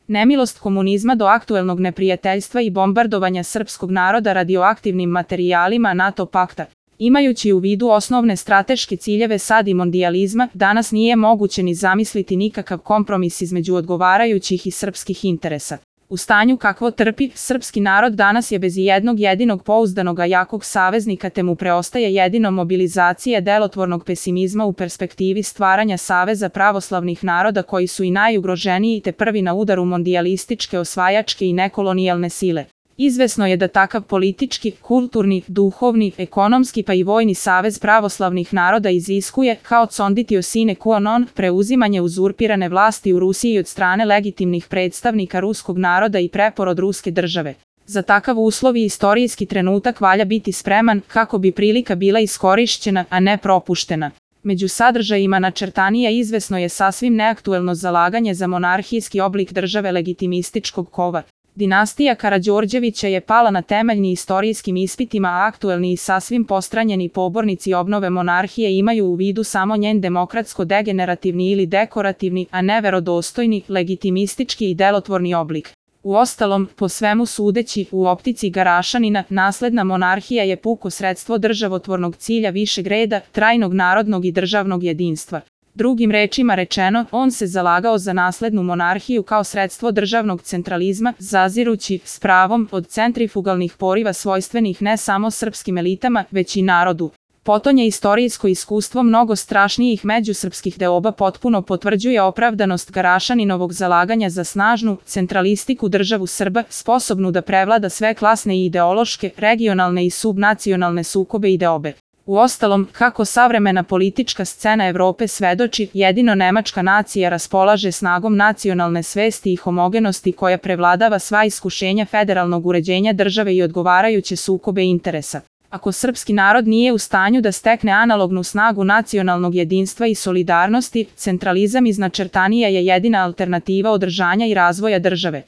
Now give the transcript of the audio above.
Nemilost komunizma do aktuelnog neprijateljstva i bombardovanja srpskog naroda radioaktivnim materijalima NATO pakta. Imajući u vidu osnovne strateške ciljeve SAD i mondijalizma, danas nije moguće ni zamisliti nikakav kompromis između odgovarajućih i srpskih interesa. U stanju kakvo trpi, srpski narod danas je bez jednog jedinog pouzdanog jakog saveznika, te mu preostaje jedino mobilizacija delotvornog pesimizma u perspektivi stvaranja saveza pravoslavnih naroda koji su i najugroženiji te prvi na udaru mondijalističke, osvajačke i nekolonijalne sile. Izvesno je da takav politički, kulturni, duhovni, ekonomski pa i vojni savez pravoslavnih naroda iziskuje, kao conditio sine qua non, preuzimanje uzurpirane vlasti u Rusiji od strane legitimnih predstavnika ruskog naroda i preporod ruske države. Za takav uslov i istorijski trenutak valja biti spreman kako bi prilika bila iskorišćena, a ne propuštena. Među sadržajima načrtanija izvesno je sasvim neaktuelno zalaganje za monarhijski oblik države legitimističkog kova. Dinastija Karađorđevića je pala na temeljni istorijskim ispitima, a aktuelni i sasvim postranjeni pobornici obnove monarhije imaju u vidu samo njen demokratsko-degenerativni ili dekorativni, a ne verodostojni, legitimistički i delotvorni oblik. Uostalom, po svemu sudeći, u optici Garašanina, nasledna monarhija je puko sredstvo državotvornog cilja višeg reda, trajnog narodnog i državnog jedinstva. Drugim rečima rečeno, on se zalagao za naslednu monarhiju kao sredstvo državnog centralizma, zazirući, s pravom, od centrifugalnih poriva svojstvenih ne samo srpskim elitama, već i narodu. Potonje istorijsko iskustvo mnogo strašnijih međusrpskih deoba potpuno potvrđuje opravdanost Garašaninovog zalaganja za snažnu, centralistiku državu Srba, sposobnu da prevlada sve klasne i ideološke, regionalne i subnacionalne sukobe i deobe. Uostalom, kako savremena politička scena Evrope svedoči, jedino nemačka nacija raspolaže snagom nacionalne svesti i homogenosti koja prevladava sva iskušenja federalnog uređenja države i odgovarajuće sukobe interesa. Ako srpski narod nije u stanju da stekne analognu snagu nacionalnog jedinstva i solidarnosti, centralizam iz načrtanija je jedina alternativa održanja i razvoja države.